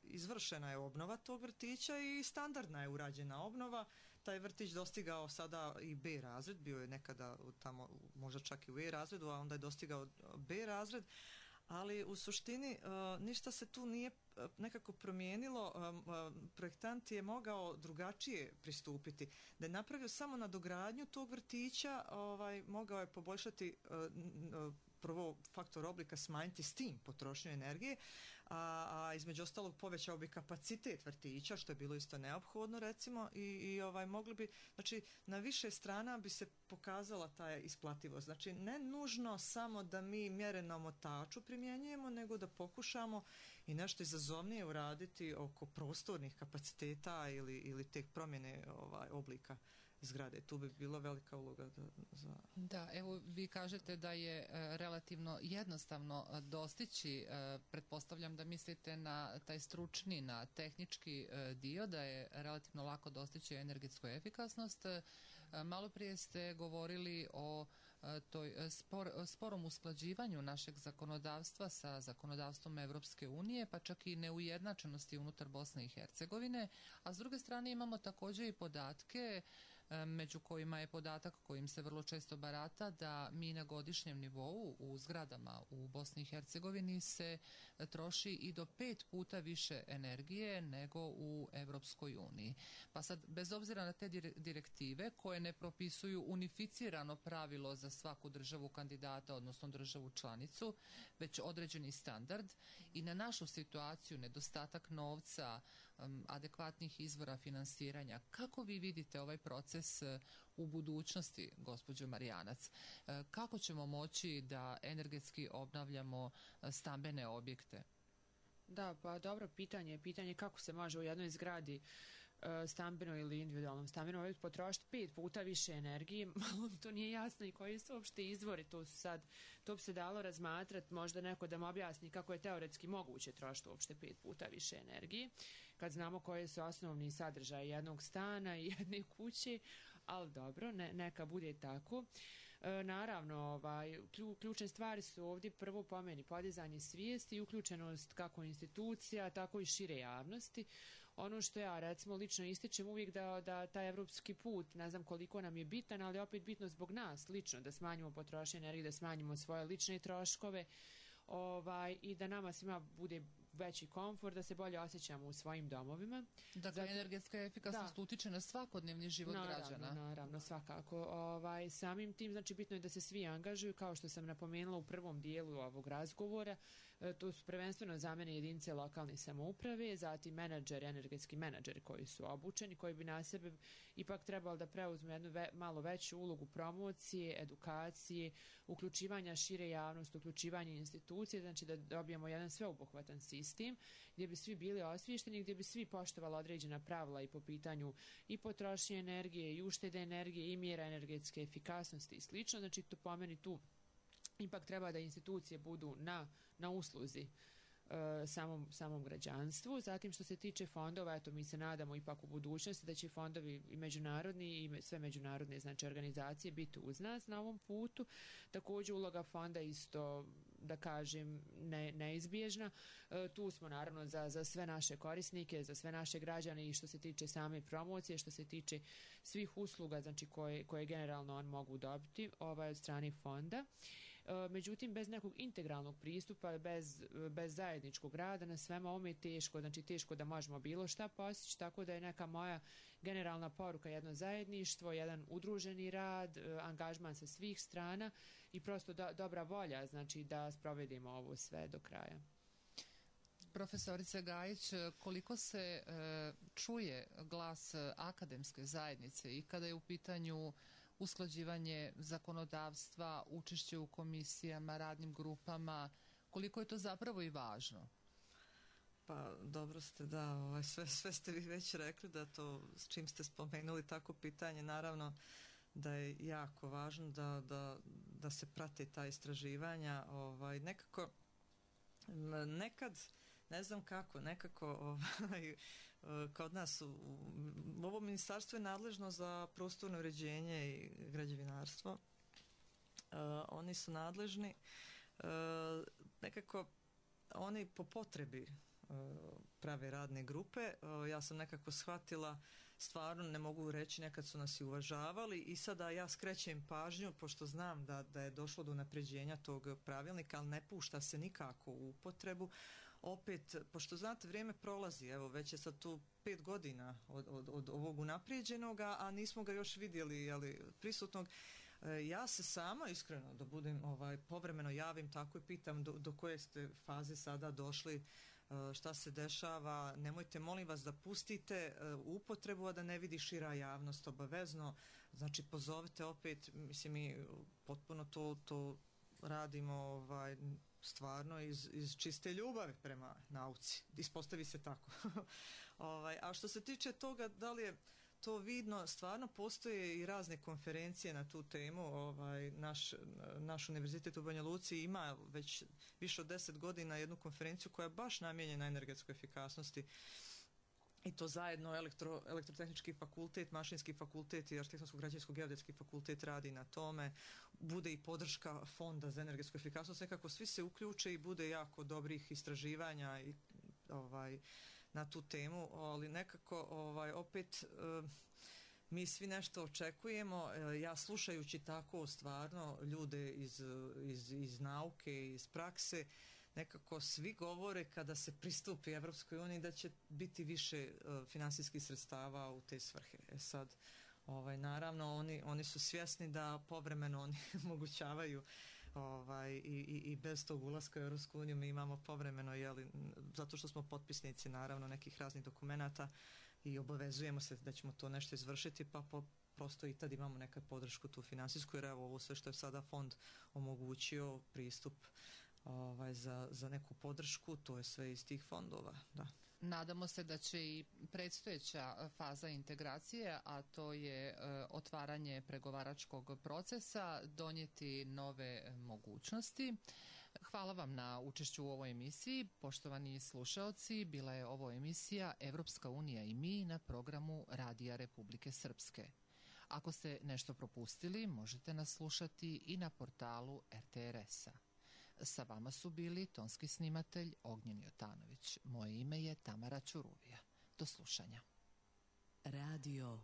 izvršena je obnova tog vrtića i standardna je urađena obnova. Taj vrtić dostigao sada i B razred, bio je nekada tamo možda čak i u E razredu, a onda je dostigao B razred, ali u suštini ništa se tu nije nekako promijenilo. Projektant je mogao drugačije pristupiti. Da je napravio samo nadogradnju tog vrtića, mogao je poboljšati prvo faktor oblika, smanjiti s tim potrošnju energije, a između ostalog povećao bi kapacitet vrtića, što je bilo isto neophodno recimo i mogli bi, znači na više strana bi se pokazala ta isplativost. Znači ne nužno samo da mi mjere na omotaču primjenjujemo, nego da pokušamo i nešto izazovnije uraditi oko prostornih kapaciteta ili tek promjene oblika zgrade. Tu bi bila velika uloga za... Da, evo vi kažete da je relativno jednostavno dostići, pretpostavljam da mislite na taj stručni, na tehnički dio, da je relativno lako dostići energetsku efikasnost. Malo prije ste govorili o toj sporom usklađivanju našeg zakonodavstva sa zakonodavstvom Evropske unije, pa čak i neujednačenosti unutar Bosne i Hercegovine, a s druge strane imamo također i podatke među kojima je podatak kojim se vrlo često barata da mi na godišnjem nivou u zgradama u Bosni i Hercegovini se troši i do 5 puta više energije nego u Evropskoj uniji. Pa sad, bez obzira na te direktive koje ne propisuju unificirano pravilo za svaku državu kandidata, odnosno državu članicu, već određeni standard i na našu situaciju, nedostatak novca, adekvatnih izvora finansiranja. Kako vi vidite ovaj proces u budućnosti, gospođo Marijanac? Kako ćemo moći da energetski obnavljamo stambene objekte? Da, pa dobro pitanje kako se može u jednoj zgradi stambeno ili individualnom stambenom objektu potrošiti 5 puta više energije. Malo mi to nije jasno i koji su uopšte izvori. To bi se dalo razmatrati, možda neko da mu objasni kako je teoretski moguće trošiti uopšte 5 puta više energije, kad znamo koje su osnovni sadržaje jednog stana i jedne kuće, ali dobro, neka bude tako. Naravno, ključne stvari su ovdje prvo po meni podizanje svijesti i uključenost kako institucija, tako i šire javnosti. Ono što ja recimo lično ističem uvijek da taj evropski put, ne znam koliko nam je bitan, ali opet bitno zbog nas lično, da smanjimo potrošnju energije, da smanjimo svoje lične troškove i da nama svima bude veći komfort, da se bolje osjećamo u svojim domovima. Dakle, energetska efikasnost utiče na svakodnevni život građana. Naravno, svakako. Samim tim, znači, bitno je da se svi angažuju, kao što sam napomenula u prvom dijelu ovog razgovora. To su prvenstveno za mene jedinice lokalne samouprave, zatim energetski menadžeri koji su obučeni, koji bi na sebe ipak trebali da preuzmu jednu malo veću ulogu promocije, edukacije, uključivanja šire javnosti, uključivanja institucije, znači da dobijemo jedan sveobuhvatan sistem gdje bi svi bili osviješteni, gdje bi svi poštovali određena pravila i po pitanju i potrošnje energije i uštede energije i mjera energetske efikasnosti i slično. Znači to po meni tu ipak treba da institucije budu na usluzi samom građanstvu. Zatim što se tiče fondova, eto mi se nadamo ipak u budućnosti da će fondovi i međunarodni i sve međunarodne znači organizacije biti uz nas na ovom putu. Također uloga fonda isto da kažem neizbježna. Tu smo naravno za sve naše korisnike, za sve naše građane i što se tiče same promocije, što se tiče svih usluga znači koje generalno on mogu dobiti od strane fonda. Međutim, bez nekog integralnog pristupa, bez zajedničkog rada na svema ovome je teško, znači teško da možemo bilo šta postići, tako da je neka moja generalna poruka jedno zajedništvo, jedan udruženi rad, angažman sa svih strana i prosto dobra volja, znači da sprovedimo ovo sve do kraja. Profesorice Gajić, koliko se čuje glas akademske zajednice i kada je u pitanju usklađivanje zakonodavstva, učešće u komisijama, radnim grupama, koliko je to zapravo i važno? Pa dobro ste, da, sve ste vi već rekli, da to s čim ste spomenuli tako pitanje, naravno da je jako važno da se prate ta istraživanja. Nekako nekad ne znam kako, nekako kod nas ovo ministarstvo je nadležno za prostorno uređenje i građevinarstvo. Oni su nadležni, nekako oni po potrebi prave radne grupe. Ja sam nekako shvatila, stvarno ne mogu reći, nekad su nas i uvažavali i sada ja skrećem pažnju, pošto znam da je došlo do unapređenja tog pravilnika, ali ne pušta se nikako u upotrebu. Opet, pošto znate, vrijeme prolazi, evo već je sad tu 5 godina od ovog unaprijeđenog, a nismo ga još vidjeli prisutnog. Ja se sama iskreno, da budem povremeno javim, tako i pitam do koje ste faze sada došli, šta se dešava, nemojte molim vas da pustite upotrebu, a da ne vidi šira javnost obavezno, znači pozovite opet, mislim mi potpuno to radimo stvarno iz čiste ljubavi prema nauci, ispostavi se tako. A što se tiče toga da li je to vidno, stvarno postoje i razne konferencije na tu temu. Naš univerzitet u Banja Luci ima već više od 10 godina jednu konferenciju koja je baš namijenjena energetskoj efikasnosti, i to zajedno elektrotehnički fakultet, mašinski fakultet i arhitektonsko-građevinsko-geodetski fakultet radi na tome. Bude i podrška fonda za energetsku efikasnost, nekako svi se uključe i bude jako dobrih istraživanja i na tu temu, ali nekako opet mi svi nešto očekujemo. Ja slušajući tako stvarno ljude iz nauke, iz prakse, nekako svi govore kada se pristupi Evropskoj uniji da će biti više finansijskih sredstava u te svrhe. Sad, naravno oni su svjesni da povremeno oni omogućavaju i bez tog ulaska u Europsku uniju mi imamo povremeno, zato što smo potpisnici naravno nekih raznih dokumenata i obavezujemo se da ćemo to nešto izvršiti, pa prosto i tad imamo neku podršku tu finansijsku, jer evo ovo sve što je sada fond omogućio pristup za neku podršku, to je sve iz tih fondova, da. Nadamo se da će i predstojeća faza integracije, a to je otvaranje pregovaračkog procesa, donijeti nove mogućnosti. Hvala vam na učešću u ovoj emisiji. Poštovani slušaoci, bila je ovo emisija Evropska unija i mi na programu Radija Republike Srpske. Ako ste nešto propustili, možete nas slušati i na portalu RTRS-a. Sa vama su bili tonski snimatelj Ognjen Jotanović. Moje ime je Tamara Ćuruvija. Do slušanja. Radio